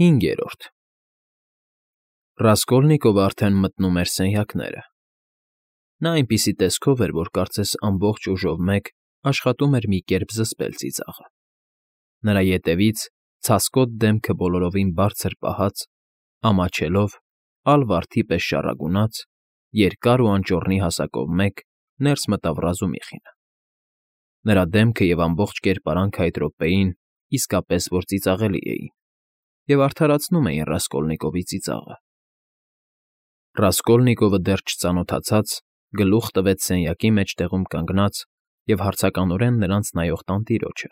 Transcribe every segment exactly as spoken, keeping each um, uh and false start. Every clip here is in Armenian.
Հինգերորդ Ռասկոլնիկովը արդեն մտնում էր սենյակները։ Նա այնպիսի տեսքով էր, որ կարծես ամբողջ ուժով մեկ աշխատում էր մի կերպ զսպել ծիծաղը։ Նրա ետևից, ցասկոտ դեմքը բոլորովին բարձր պահած, ամաչելով, ալ վարդի պես շառագունած, երկար ու անճոռնի հասակով մեկ ներս մտավ Ռազումիխինը։ Նրա դեմքը և ամբողջ կերպարանքը այդ րոպեին իսկապես որ ծիծաղելի էին և արդարացնում էին Ռասկոլնիկովի ծիծաղը։ Ռասկոլնիկովը դեռ չծանոթացած գլուխ տվեց սենյակի մեջտեղում կանգնած և հարցականորեն նրանց նայող տանտիրոջը,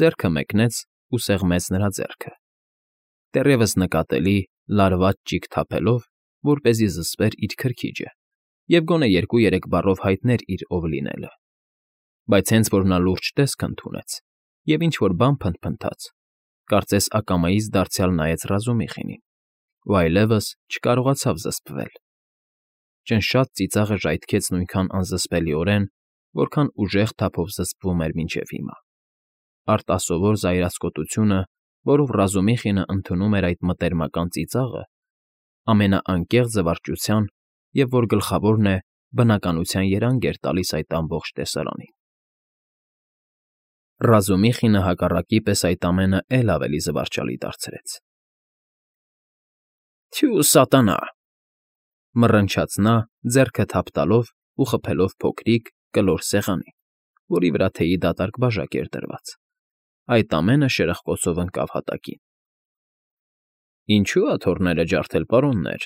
ձեռքը մեկնեց ու սեղմեց նրա ձեռքը, դեռևս նկատելի լարված ճիգ թափելով, որպեսզի զսպեր իր քրքիջը և գոնե երկու֊երեք բառով հայտներ իր ով լինելը, բայց հենց որ նա լուրջ տեսք ընդունեց և ինչ֊որ բան փնթփնթաց, կարծես ակամայից դարձյալ նայեց Ռազումիխինին ու այլևս չկարողացավ զսպվել։ Ճնշած ծիծաղը ժայթքեց նույնքան անզսպելիորեն, որքան ուժեղ թափով զսպվում էր մինչև հիմա։ Արտասովոր զայրացկոտությունը, որով Ռազումիխինը ընդունում էր այդ մտերմական ծիծաղը, ամենաանկեղծ զվարճության և, որ գլխավորն է, բնականության երանգ էր տալիս այդ ամբողջ տեսարանին։ Ռազումիխինը հակառակի պես այդ ամենը էլ ավելի զվարճալի դարձրեց։ ֊ Թյու սատանա,֊ մռնչաց նա, ձեռքը թափ տալով ու խփելով փոքրիկ, կլոր սեղանին, որի վրա թեյի դատարկ բաժակ էր դրված։ Այդ ամենը շրխկոցով ընկավ հատակին։ ֊ Ինչո՞ւ աթոռները ջարդել, պարոններ,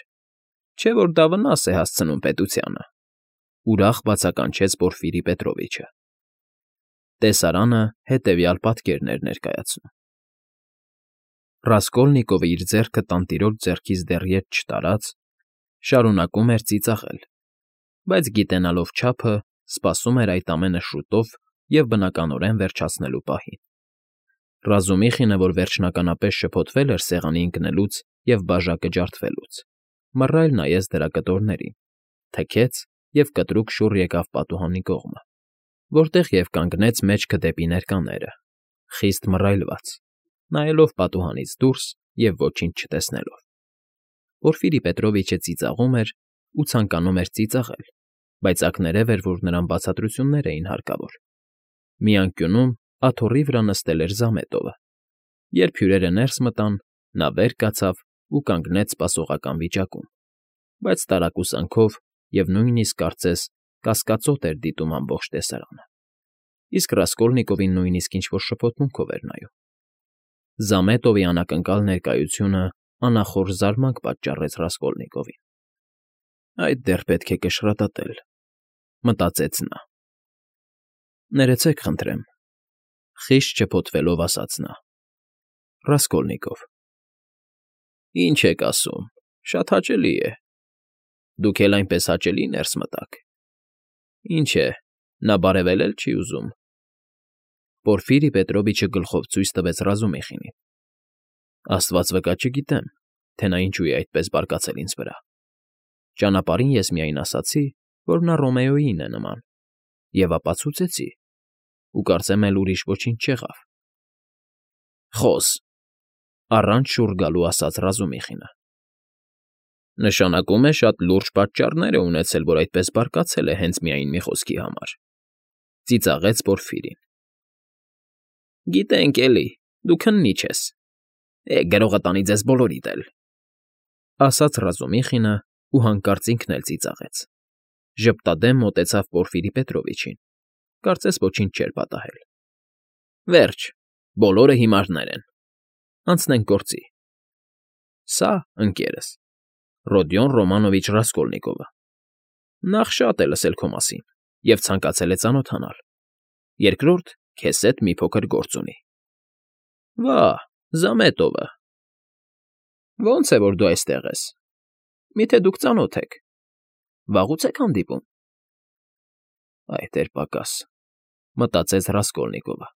չէ՞ որ դա վնաս է հասցնում պետությանը,֊ ուրախ բացականչեց Պորֆիրի Պետրովիչը։ Տեսարանը հետևյալ պատկերն էր ներկայացնում. Ռասկոլնիկովը իր ձեռքը տանտիրոջ ձեռքից դեռ ետ չտարած, շարունակում էր ծիծաղել, բայց գիտենալով չափը, սպասում էր այդ ամենը շուտով և բնականորեն վերջացնելու պահին։ Ռազումիխինը, որ վերջնականապես շփոթվել էր սեղանի ընկնելուց և բաժակը ջարդվելուց, մռայլ նայեց դրա կտորներին, թքեց և կտրուկ շուռ եկավ պատուհանի կողմը, որտեղ և կանգնեց մեջքը դեպի ներկաները, խիստ մռայլված, նայելով պատուհանից դուրս և ոչինչ չտեսնելով։ Պորֆիրի Պետրովիչը ծիծաղում էր ու ցանկանում էր ծիծաղել, բայց ակներև էր, որ նրան բացատրություններ էին հարկավոր։ Մի անկյունում աթոռի վրա նստել էր Զամետովը։ Երբ հյուրերը ներս մտան, նա վեր կացավ ու կանգնեց սպասողական վիճակում, բայց տարակուսանքով և նույնիսկ, կարծես, կասկածոտ էր դիտում ամբողջ տեսարանը, իսկ Ռասկոլնիկովին նույնիսկ ինչ֊որ շփոթմունքով էր նայում։ Զամետովի անակնկալ ներկայությունը անախորժ զարմանք պատճառեց Ռասկոլնիկովին։ «Այդ դեռ պետք է կշռատատել,֊ մտածեց նա։ Ներեցեք, խնդրեմ,֊ խիստ շփոթվելով ասաց նա։ ֊ Ռասկոլնիկով։ ֊ Ինչ եք ասում, շատ հաճելի է։ Դուք էլ այնպես հաճելի ներս մտաք։ Ինչ է, նա բարևել էլ չի ուզում։ Պորֆիրի Պետրովիչը գլխով ցույց տվեց Ռազումիխինին։ Աստված վկա, չգիտեմ, թե նա ինչու է այդպես բարկացել ինձ վրա։ Ճանապարհին ես միայն ասացի, որ նա Ռոմեոյին է նման, և ապացուցեցի, ու կարծեմ էլ ուրիշ ոչինչ չեղավ։ ֊ Խոս,֊ առանց շուռ գալու ասաց Ռազումիխինը։ ֊ Նշանակում է շատ լուրջ պատճառներ է ունեցել, որ այդպես բարկացել է հենց միայն մի խոսքի համար,֊ ծիծաղեց Պորֆիրին։ ֊ Գիտենք էլի, դու քննիչ ես։ Է, գրողը տանի ձեզ բոլորիդ էլ,֊ ասաց Ռազումիխինը ու հանկարծ ինքն էլ ծիծաղեց, ժպտադեմ մոտեցավ Պորֆիրի Պետրովիչին, կարծես ոչինչ չէր պատահել։ ֊ Վերջ, բոլորը հիմարներ են, անցնենք գործի։ Սա, ընկերս, Ռոդիոն Ռոմանովիչ Ռասկոլնիկովը, նախ շատ է լսել քո մասին և ցանկացել է ծանոթանալ, երկրորդ, քեզ հետ մի փոքր գործ ունի։ ֊ Վա՜, Զամետովը… Ո՞նց է, որ դու այստեղ ես, միթե դուք ծանոթ եք, վաղուց եք հանդիպում։ Այ դեռ պակաս,֊ մտածեց Ռասկոլնիկովը։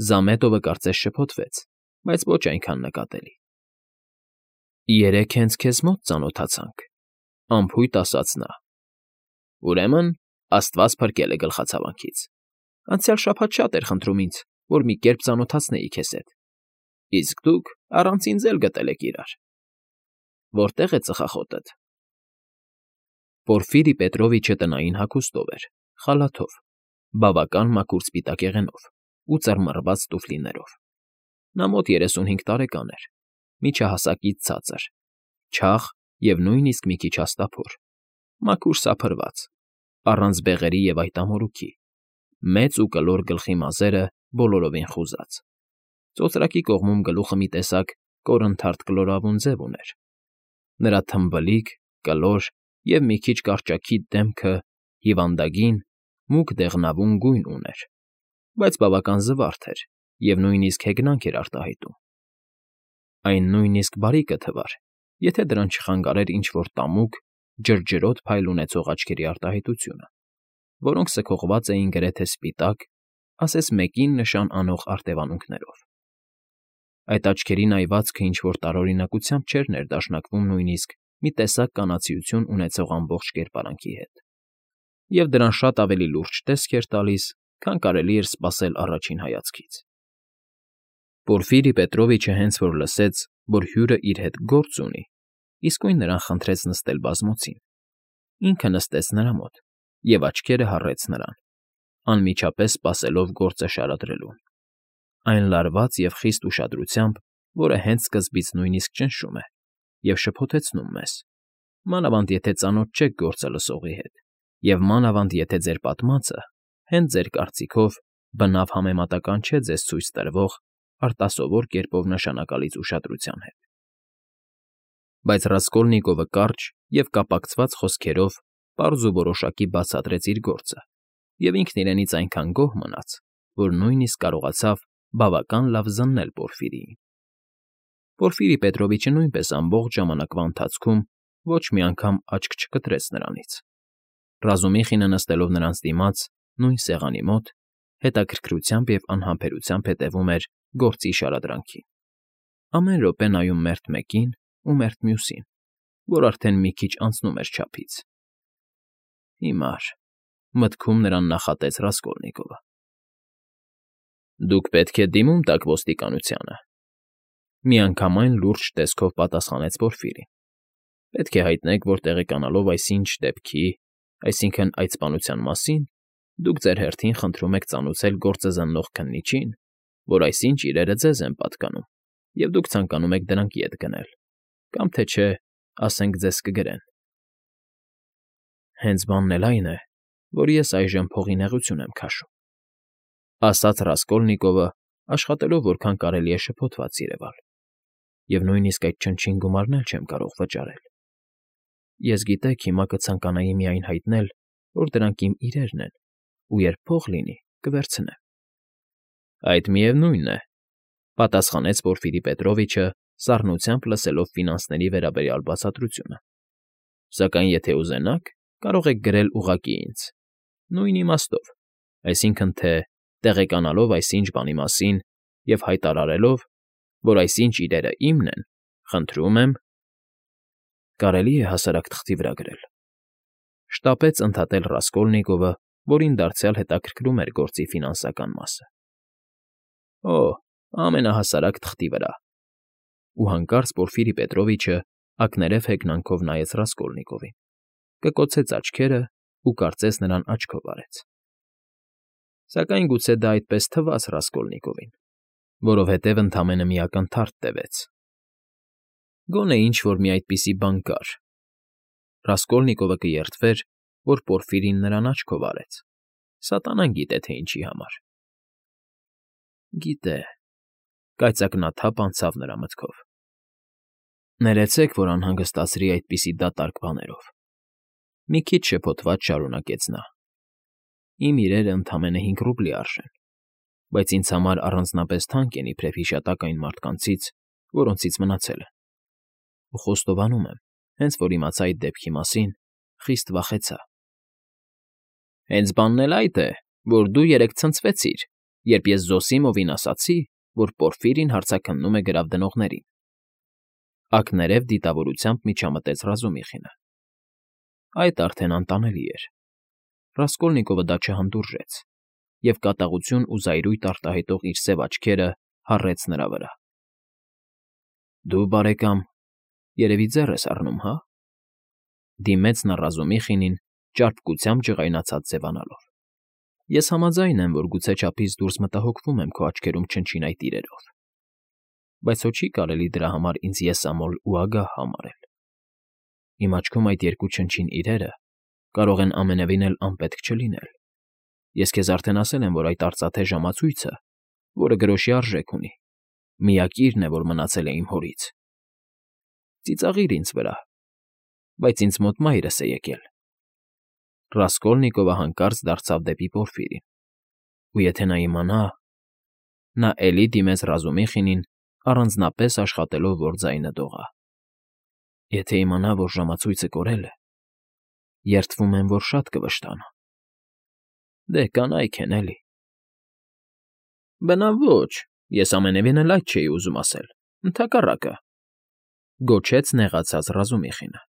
Զամետովը կարծես շփոթվեց, բայց ոչ այնքան նկատելի։ ֊ Երեկ հենց քեզ մոտ ծանոթացանք,֊ անփույթ ասաց նա։ ֊ Ուրեմն աստված փրկել է գլխացավանքից… Անցյալ շաբաթ շատ էր խնդրում ինձ, որ մի կերպ ծանոթացնեի քեզ հետ։ Իսկ դուք առանց ինձ էլ գտել եք իրար։ Որտե՞ղ է ծխախոտդ։ Պորֆիրի Պետրովիչը տնային հագուստով էր, խալաթով, բավական մաքուր սպիտակ եղենով ու ծռմռված տուֆլիներով։ Նա մոտ երեսունհինգ տարեկան էր, միջահասակից ցածր, չաղ և նույնիսկ մի քիչ հաստափոր, մաքուր սափրված, առանց բեղերի և այտամորուքի, մեծ ու կլոր գլխի մազերը բոլորովին խուզած։ Ծոծրակի կողմում գլուխը մի տեսակ կորնթարթ կլորավուն ձև ուներ։ Նրա թմբլիկ, կլոր և մի քիչ կարճաքիթ դեմքը հիվանդագին, մուգ դեղնավուն գույն ուներ, բայց բավական զվարթ էր և նույնիսկ հեգնանք էր արտահայտում։ Այն նույնիսկ բարի կթվար, եթե դրան չխանգարեր ինչ֊որ տամուկ, ջրջրոտ փայլ ունեցող աչքերի արտահայտությունը, որոնք սքողված էին գրեթե սպիտակ, ասես մեկին նշան անող արտևանունքներով։ Այդ աչքերի նայվածքը ինչ֊որ տարօրինակությամբ չէր ներդաշնակվում նույնիսկ մի տեսակ կանացիություն ունեցող ամբողջ կերպարանքի հետ, և դրան շատ ավելի լուրջ տեսք էր տալիս, քան կարելի էր սպասել առաջին հայացքից։ Պորֆիրի Պետրովիչը հենց որ լսեց, որ հյուրն իր հետ գործ ունի, իսկույն նրան խնդրեց նստել բազմոցին։ Ինքը նստեց նրա մոտ և աչքերը հառեց նրան, անմիջապես սպասելով գործը շարադրելուն, այն լարված և խիստ ուշադրությամբ, որը հենց սկզբից նույնիսկ ճնշում է և շփոթեցնում մեզ, մանավանդ եթե ծանոթ չեք գործը լսողի հետ, և մանավանդ եթե ձեր պատմածը, հենց ձեր կարծիքով, բնավ համեմատական չէ ձեզ ցույց տրվող արտասովոր կերպով նշանակալից ուշադրության հետ։ Բայց Ռասկոլնիկովը կարճ և կապակցված խոսքերով պարզ ու որոշակի բացատրեց իր գործը, և ինքն իրենից այնքան գոհ մնաց, որ նույնիսկ կարողացավ բավական լավ զննել Պորֆիրիին։ Պորֆիրի Պետրովիչը նույնպես ամբողջ ժամանակվա ընթացքում ոչ մի անգամ աչք չկտրեց նրանից։ Ռազումիխինը նստելով նրանց դիմաց, նույն սեղանի մոտ, հետաքրքրությամբ և անհամբերությամբ հետևում էր գործի շարադրանքին, ամեն րոպե նայում մերթ մեկին ու մերթ մյուսին, որ արդեն մի քիչ անցնում էր չափից։ Հիմար, մտքում նրան նախատեց Ռասկոլնիկովը։ Դուք պետք է դիմում տաք ոստիկանությանը, միանգամայն լուրջ տեսքով պատասխանեց Պորֆիրին։ Պետք է հայտնեք, որ տեղեկանալով այսինչ դեպքի, այսինքն՝ այդ սպանության մասին, դուք ձեր հերթին խնդրում եք ծանուցել գործը զննող քննիչին, որ այսինչ իրերը ձեզ են պատկանում, և դուք ցանկանում եք դրանք ետ գնել, կամ թե չէ, ասենք ձեզ կգրեն։ Հենց բանն էլ այն է, որ ես այժմ փողի նեղություն եմ քաշում, ասաց Ռասկոլնիկովը, աշխատելով որքան կարելի է շփոթված երևալ, և նույնիսկ այդ չնչին գումարն էլ չեմ կարող վճարել։ Ես, գիտեք, հիմա կցանկանայի միայն հայտնել, որ դրանք իմ իրերն են, ու երբ փող լինի, կվերցնեմ։ Այդ միևնույնն է, պատասխանեց Պորֆիրի Պետրովիչը, սառնությամբ լսելով ֆինանսների վերաբերյալ բացատրությունը։ Սակայն եթե ուզենաք, կարող եք գրել ուղղակի ինձ, նույն իմաստով, այսինքն թե, տեղեկանալով այսինչ բանի մասին և հայտարարելով, որ այսինչ իրերը իմն են, խնդրում եմ… Կարելի է հասարակ թղթի վրա գրել, շտապեց ընդհատել Ռասկոլնիկովը, որին դարձյալ հետաքրքրում էր գործի ֆինանսական մասը։ Օ՜, ամենահասարակ թղթի վրա… Ու հանկարծ Պորֆիրի Պետրովիչը ակներև հեգնանքով նայեց Ռասկոլնիկովին, կկոցեց աչքերը ու կարծես նրան աչքով արեց։ Սակայն գուցե դա այդպես թվաց Ռասկոլնիկովին, որովհետև ընդամենը մի ակնթարթ տևեց։ Գոնե ինչ֊որ մի այդպիսի բան կար… Ռասկոլնիկովը կերտվեր, որ Պորֆիրին նրան աչքով արեց, սատանան գիտե, թե ինչի համար։ Գիտե… Կայծակնաթափ անցավ նրա մտքով։ Ներեցեք, որ անհանգստացրի այդպիսի դատարկ բաներով, մի քիչ շփոթված շարունակեց նա։ Իմ իրերը ընդամենը հինգ ռուբլի արժեն, բայց ինձ համար առանձնապես թանկ են իբրև հիշատակ այն մարդկանցից, որոնցից մնացել են, ու խոստովանում եմ, հենց որ իմացա այդ դեպքի մասին, խիստ վախեցա։ Հենց բանն էլ այդ է, որ դու երեկ ցնցվեցիր, երբ ես Զոսիմովին ասացի, որ Պորֆիրին հարցաքննում է գրավ դնողներին, ակներև դիտավորությամբ միջամտեց Ռազումիխինը։ Այդ արդեն անտանելի էր։ Ռասկոլնիկովը դա չհանդուրժեց, և կատաղություն ու զայրույթ արտահայտող իր սև աչքերը հառեց նրա վրա։ Դու, բարեկամ, երևի ձեռ ես առնում, հա՞, դիմեց նա Ռազումիխինին, ճարպկությամբ ջղայնացած ձևանալով։ Ես համաձայն եմ, որ գուցե չափից դուրս մտահոգվում եմ քո աչքերում չնչին այդ իրերով, բայց հո չի կարելի դրա համար ինձ եսամոլ ու ագահ համարել։ Իմ աչքում այդ երկու չնչին իրերը կարող են ամենևին էլ անպետք չլինել։ Ես քեզ արդեն ասել եմ, որ այդ արծաթե ժամացույցը, որը գրոշի արժեք ունի, միակիրն է, որ մնացել է իմ հորից։ Ծիծաղիր ինձ վրա, բայց ինձ մոտ մայրս է եկել։ Ռասկոլնիկովը հանկարծ դարձավ դեպի Պորֆիրին։ Ու եթե նա իմանա… Նա էլի դիմեց Ռազումիխինին, առանձնապես աշխատելով, որ ձայնը դողա։ Եթե իմանա, որ ժամացույցը կորել է, երդվում եմ, որ շատ կվշտանա։ Դե, կանայք են, էլի։ Բնավ ոչ, ես ամենևին էլ այդ չէի ուզում ասել, ընդհակառակը,֊ գոչեց նեղացած Ռազումիխինը։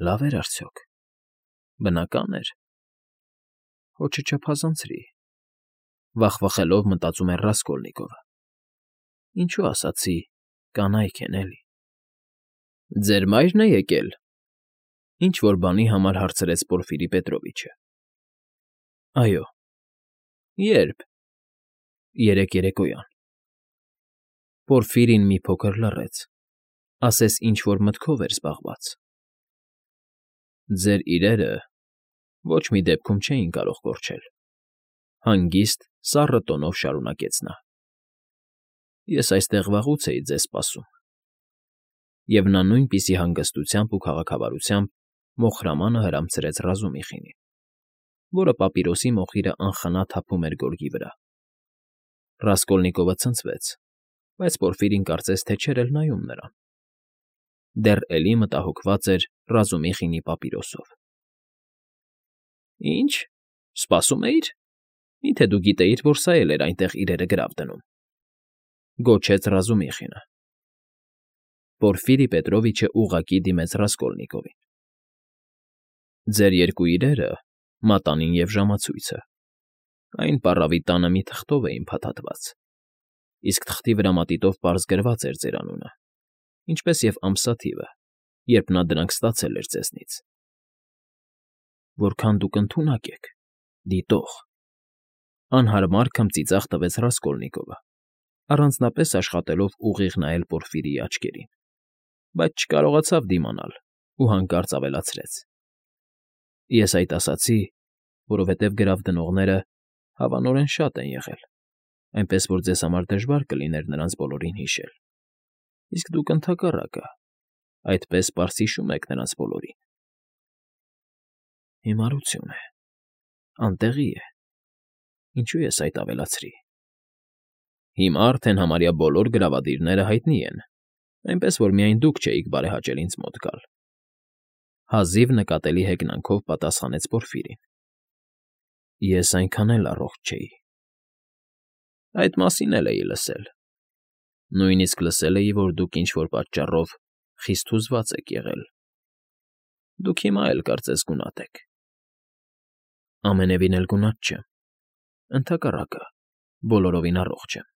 Լավ էր արդյոք… Բնական էր… Հո չչափազանցրի… Վախվխելով մտածում էր Ռասկոլնիկովը։ Ինչու ասացի՝ կանայք են, էլի… Ձեր մայրն է եկել,֊ ինչ֊որ բանի համար հարցրեց Պորֆիրի Պետրովիչը։ Այո։ Ե՞րբ։ Երեկ երեկոյան։ Պորֆիրին մի փոքր լռեց, ասես ինչ֊որ մտքով էր զբաղված։ Ձեր իրերը ոչ մի դեպքում չէին կարող կորչել,֊ հանգիստ, սառը տոնով շարունակեց նա։ Ես այստեղ վաղուց էի ձեզ սպասում։ Եվ նա նույնպիսի հանգստությամբ ու քաղաքավարությամբ մոխրամանը հրամցրեց Ռազումիխինին, որը պապիրոսի մոխիրը անխնա թափում էր գորգի վրա։ Ռասկոլնիկովը ցնցվեց, բայց Պորֆիրին կարծես թե չէր էլ նայում նրան։ Դեռ էլի մտահոգված էր Ռազումիխինի պապիրոսով։ Ինչ, սպասում էիր… Մի՞թե դու գիտեիր, որ սա էլ էր այնտեղ իրերը գրավ դնում,֊ գոչեց Ռազումիխինը։ Պորֆիրի Պետրովիչը ուղղակի դիմեց Ռասկոլնիկովին։ Ձեր երկու իրերը՝ մատանին և ժամացույցը, այն պառավի տանը մի թղթով էին փաթաթված, իսկ թղթի վրա մատիտով պարզ գրված էր ձեր անունը, ինչպես և ամսաթիվը, երբ նա դրանք ստացել էր ձեզնից։ Որքան դուք ընդունակ եք, դիտող,֊ անհարմար քմծիծաղ տվեց Ռասկոլնիկովը, առանձնապես աշխատելով ուղիղ նայել Պորֆիրիի աչքերին, բայց չկարողացավ դիմանալ ու հանկարծ ավելացրեց. Ես այդ ասացի, որովհետև գրավ դնողները հավանորեն շատ են եղել, այնպես որ ձեզ համար դժվար կլիներ նրանց բոլորին հիշել, իսկ դուք ընդհակառակը, այդպես պարզ հիշում եք նրանց բոլորին։ Հիմարություն է, անտեղի է, ինչու ես այդ ավելացրի։ Հիմա արդեն համարյա բոլոր գրավադիրները հայտնի են, այնպես որ միայն դուք չէիք բարեհաճել ինձ մոտ գալ,֊ հազիվ նկատելի հեգնանքով պատասխանեց Պորֆիրին։ Ես այնքան էլ առողջ չէի։ Այդ մասին էլ էի լսել։ Նույնիսկ լսել էի, որ դուք ինչ֊որ պատճառով խիստ հուզված եք եղել։ Դուք հիմա էլ կարծես գունատ եք։ Ամենևին էլ գունատ չեմ, ընդհակառակը, բոլորովին առողջ եմ,֊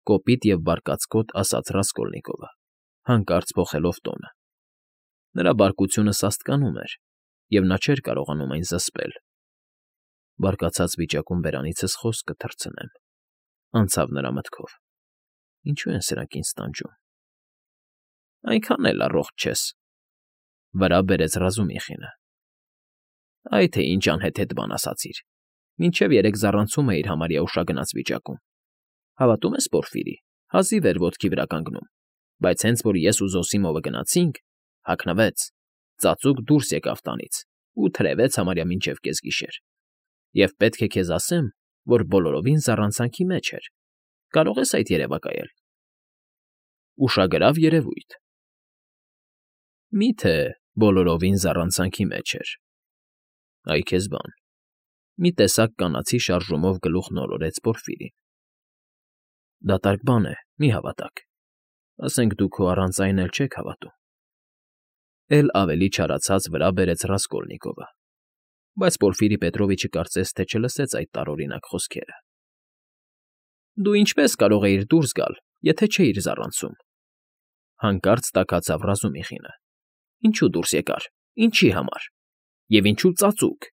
կոպիտ և բարկացկոտ ասաց Ռասկոլնիկովը, հանկարծ փոխելով տոնը։ Նրա բարկությունը սաստկանում էր, և նա չէր կարողանում այն զսպել։ Բարկացած վիճակում բերանիցս խոսք կթռցնեմ,֊ անցավ նրա մտքով։ Ինչու են սրանք ինձ տանջում։ Այնքան էլ առողջ չես,֊ վրա բերեց Ռազումիխինը։ Այ թե ինչ անհեթեթ բան ասացիր, մինչև երեկ զառանցում էիր համարյա ուշագնաց վիճակում։ Հավատում ես, Պորֆիրի, հազիվ էր ոտքի վրա կանգնում, բայց հենց որ ես ու Զոսիմովը գնացինք, հագնվեց, ծածուկ դուրս եկավ տանից ու թրևեց համարյա մինչև կեսգիշեր։ Եվ պետք է քեզ ասեմ, որ բոլորովին զառանցանքի մեջ էր։ Կարո՞ղ ես այդ երևակայել։ Ուշագրավ երևույթ։ Մի՞թե բոլորովին զառանցանքի մեջ էր։ Այ քեզ բան,֊ մի տեսակ կանացի շարժումով գլուխ նորորեց Պորֆիրին։ Դատարկ բան է, մի հավատաք։ Ասենք դուք հո առանց այն էլ չեք հավատում,֊ էլ ավելի չարացած վրա բերեց Ռասկոլնիկովը, բայց Պորֆիրի Պետրովիչը կարծես թե չլսեց այդ տարօրինակ խոսքերը։ Դու ինչպե՞ս կարող էիր դուրս գալ, եթե չէիր զառանցում։ Հանկարծ տաքացավ Ռազումիխինը։ Ինչու դուրս եկար, ինչի համար, և ինչու ծածուկ,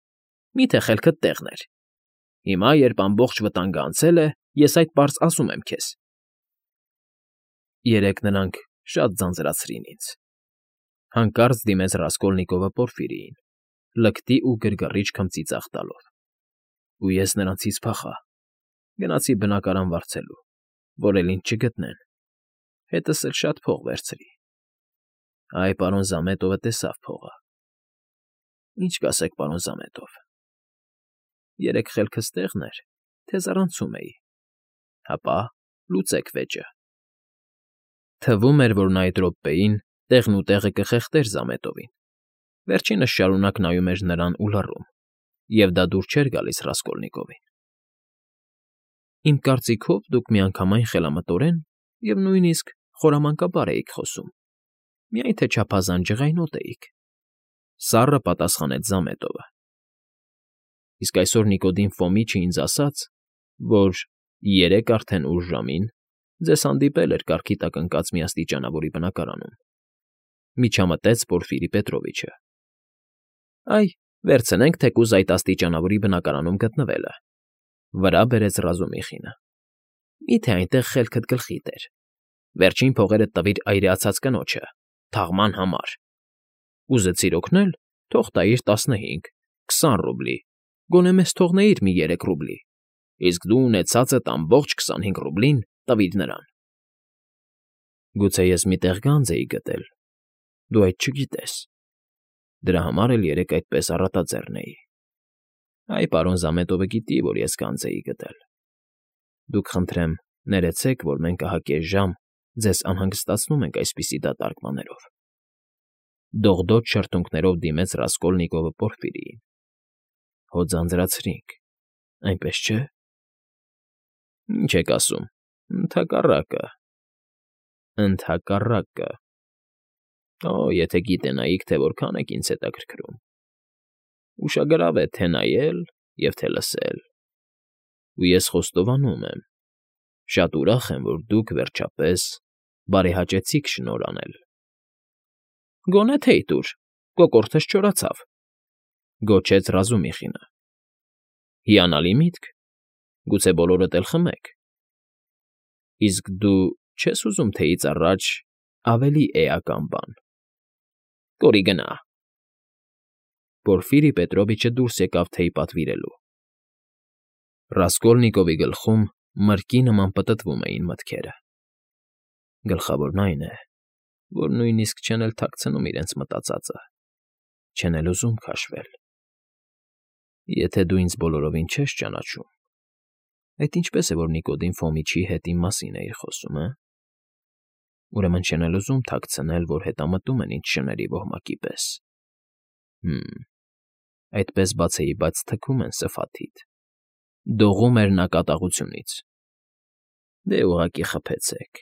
մի՞թե խելքդ տեղն էր։ Հիմա, երբ ամբողջ վտանգը անցել է, ես այդ պարզ ասում եմ քեզ։ Երեկ նրանք շատ ձանձրացրին ինձ։ Հանկարծ դիմեց Ռասկոլնիկովը Պորֆիրիին, լկտի ու գրգռիչ քմծիծաղ տալով։ Ու ես նրանցից փախա, գնացի բնակարան վարձելու, որ էլ ինձ չգտնեն, հետս էլ շատ փող վերցրի։ Այ պարոն Զամետովը տեսավ փողը։ Ինչ կասեք, պարոն Զամետով։ Երեք խելքս տեղն էր, թե զառանցում էի։ Հապա լուծեք վեճը։ Թվում էր, որ նա այդ րոպեին տեղն ու տեղը կխեղդեր Զամետովին, վերջինս շարունակ նայում էր նրան ու լռում, և դա դուր չէր գալիս Ռասկոլնիկովին։ Իմ կարծիքով դուք միանգամայն խելամտորեն և նույնիսկ խորամանկաբար էիք խոսում, միայն թե չափազանց ջղայնոտ էիք,֊ սառը պատասխանեց Զամետովը։ Իսկ այսօր Նիկոդիմ Ֆոմիչը ինձ ասաց, որ երեկ արդեն ուշ ժամին ձեզ հանդիպել էր կառքի տակ ընկած մի աստիճանավորի բնակարանում,֊ միջամտեց Պորֆիրի Պետրովիչը։ Այ, վերցնենք թեկուզ այդ աստիճանավորի բնակարանում գտնվելը,֊ վրա բերեց Ռազումիխինը։ Մի՞թե այնտեղ խելքդ գլխիդ էր։ Վերջին փողերդ տվիր այրեացած կնոջը, թաղման համար։ Ուզեցիր օգնել, թող տայիր տասնհինգ, քսան ռուբլի, գոնե մեզ թողնեիր մի երեք ռուբլի, իսկ դու ունեցածդ ամբողջ քսանհինգ ռուբլին տվիր նրան։ Գուցե ես մի տեղ գանձ էի գտել, դու այդ չգիտես։ Դրա համար էլ երեկ այդպես առատաձեռն էի։ Այ պարոն Զամետովը գիտի, որ ես գանձ էի գտել։ Դուք, խնդրեմ, ներեցեք, որ մենք ահա կես ժամ ձեզ անհանգստացնում ենք այսպիսի դատարկ բաներով,֊ դողդոջ շրթունքներով դիմեց Ռասկոլնիկովը Պորֆիրիին։ Հո ձանձրացրինք, այնպես չէ՞։ Ինչ եք ասում, ընդհակառակը, ընդհակառակը։ Օ, եթե գիտենայիք, թե որքան եք ինձ հետաքրքրում։ Ուշագրավ է թե՛ նայել և թե՛ լսել։ Ու ես խոստովանում եմ, շատ ուրախ եմ, որ դուք, վերջապես, բարեհաճեցիք շնորհ անել։ Գոնե թեյ տուր, կոկորդս չորացավ,֊ գոչեց Ռազումիխինը։ Հիանալի միտք, գուցե բոլորդ էլ խմեք։ Իսկ դու չե՞ս ուզում թեյից առաջ ավելի էական բան։ Կորի գնա։ Պորֆիրի Պետրովիչը դուրս եկավ թեյ պատվիրելու։ Ռասկոլնիկովի գլխում մրկի նման պտտվում էին մտքերը։ Գլխավորն այն է, որ նույնիսկ չեն էլ թաքցնում իրենց մտածածը, չեն էլ ուզում քաշվել։ Եթե դու ինձ բոլորովին չես ճանաչում, այդ ինչպե՞ս է, որ Նիկոդիմ Ֆոմիչի հետ իմ մասին էիր խոսում, հը՞։ Ուրեմն չեն էլ ուզում թաքցնել, որ հետամտում են ինձ շների ոհմակի պես։ Հը՛մ, այդպես բացեիբաց թքում են սրտիդ, դողում էր նա կատաղությունից։ Դե ուղղակի խփեցեք,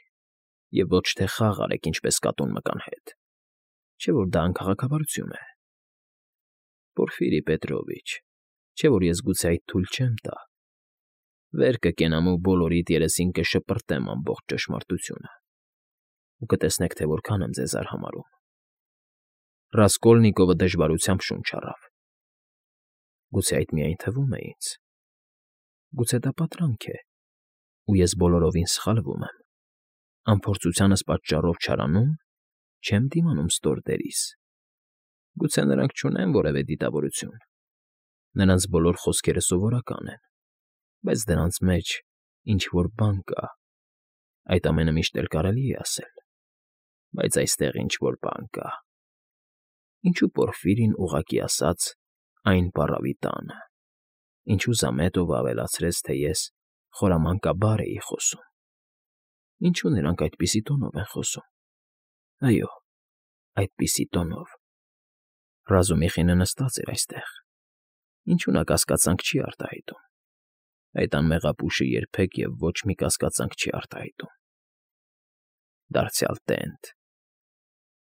և ոչ թե խաղ արեք ինչպես կատուն մկան հետ, չէ՞ որ դա անքաղաքավարություն է։ Պորֆիրի Պետրովիչ, չէ՞ որ ես գուցե այդ թույլ չեմ տա։ Վեր կկենամ ու բոլորիդ երեսին կշպրտեմ ամբողջ ճշմարտությունը, ու կտեսնեք, թե որքան եմ ձեզ արհամարհում։ Ռասկոլնիկովը դժվարությամբ շունչ առավ։ Գուցե այդ միայն թվում է ինձ։ Գուցե դա պատրանք է, ու ես բոլորովին սխալվում եմ, անփորձությանս պատճառով չարանում, չեմ դիմանում ստոր դերիս։ Գուցե նրանք չունեն որևէ դիտավորություն, նրանց բոլոր խոսքերը սովորական են, բայց դրանց մեջ ինչ֊որ բան կա, այդ ամենը միշտ էլ կարելի է ասել, բայց այստեղ ինչ֊որ բան կա։ Ինչու Պորֆիրին ուղղակի ասաց այն պառավի տանը, ինչու Զամետովը ավելացրեց, թե ես խորամանկաբար էի խոսում, ինչու նրանք այդպիսի տոնով են խոսում։ Այո, այդպիսի տոնով։ Ռազումիխինը նստած էր այստեղ, ինչու նա կասկածանք չի արտահայտում։ Այդ անմեղապուշը երբեք և ոչ մի կասկածանք չի արտահայտում։ Դարձյալ տենտ։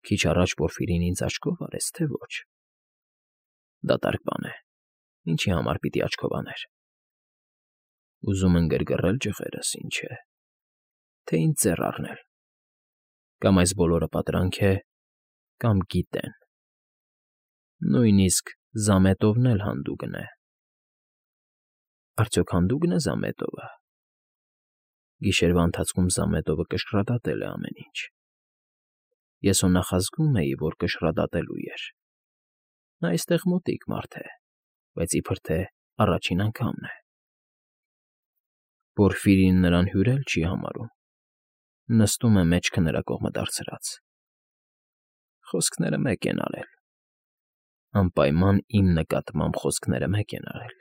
Քիչ առաջ Պորֆիրին ինձ աչքով արեց, թե ոչ։ Դատարկ բան է, ինչի համար պիտի աչքով աներ։ Ուզում են գրգռել ջղերս, ինչ է, թե ինձ ձեռ առնել։ Կամ այս բոլորը պատրանք է, կամ գիտեն։ Նույնիսկ Զամետովն էլ հանդուգն է։ Արդյոք հանդուգն է Զամետովը։ Գիշերվա ընթացքում Զամետովը կշռադատել է ամեն ինչ։ Ես հո նախազգում էի, որ կշռադատելու էր։ Նա այստեղ մոտիկ մարդ է, բայց իբր թե առաջին անգամն է։ Պորֆիրին նրան հյուրել չի համարում։ Նստում է մեջքը նրա կողմը դարձրած։ Խոսքները մեկ են արել։ Անպայման իմ նկատմամբ խոսքները մեկ են արել։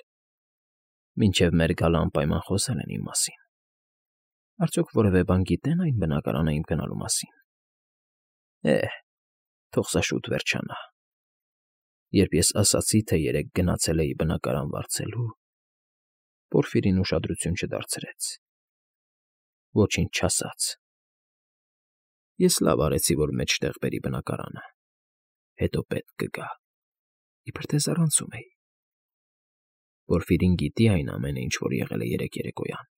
Մինչև մեր գալը անպայման խոսել են իմ մասին։ Արդյոք որևէ բան գիտեն այն բնակարանը իմ գնալու մասին։ Է՜, թող սա շուտ վերջանա։ Երբ ես ասացի, թե երեկ գնացել էի բնակարան վարձելու, Պորֆիրին ուշադրություն չդարձրեց։ Ոչինչ չասաց։ Ես լավ արեցի, որ մեջտեղ բերի բնակարանը։ Հետո պետք կգա։ Իբր թե զառանցում էի։ Պորֆիրին գիտի այն ամենը, ինչ որ եղել է երեկ երեկոյան։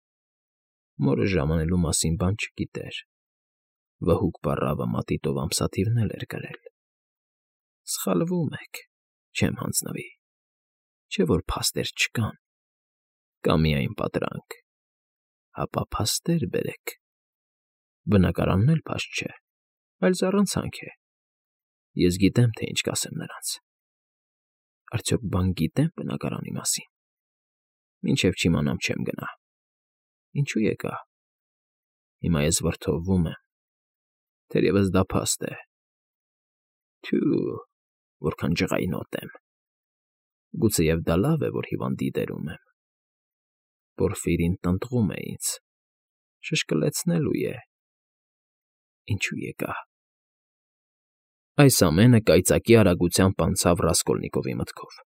Մորը ժամանելու մասին բան չգիտեր։ Վհուկ պառավը մատիտով ամսաթիվն էլ էր գրել։ Սխալվում եք, չեմ հանձնվի։ Չէ՞ որ փաստեր չկան։ Կա միայն պատրանք։ Հապա փաստեր բերեք։ Բնակարանն էլ փաստ չէ, այլ զառանցանք է։ Ես գիտեմ, թե ինչ կասեմ նրանց։ Արդյոք բան գիտեմ բնակարանի մասին։ Մինչև չիմանամ չեմ գնա։ Ինչու եկա։ Հիմա ես վրդովվում եմ։ Թերևս դա փաստ է։ Թյու, որքան ջղայնոտ եմ։ Գուցեև դա լավ է, որ հիվանդի դերում եմ։ Պորֆիրին տնտղում է ինձ։ Շշկլեցնելու է։ Ինչու եկա։ Այս ամենը կայծակի արագությամբ անցավ Ռասկոլնիկովի մտքով։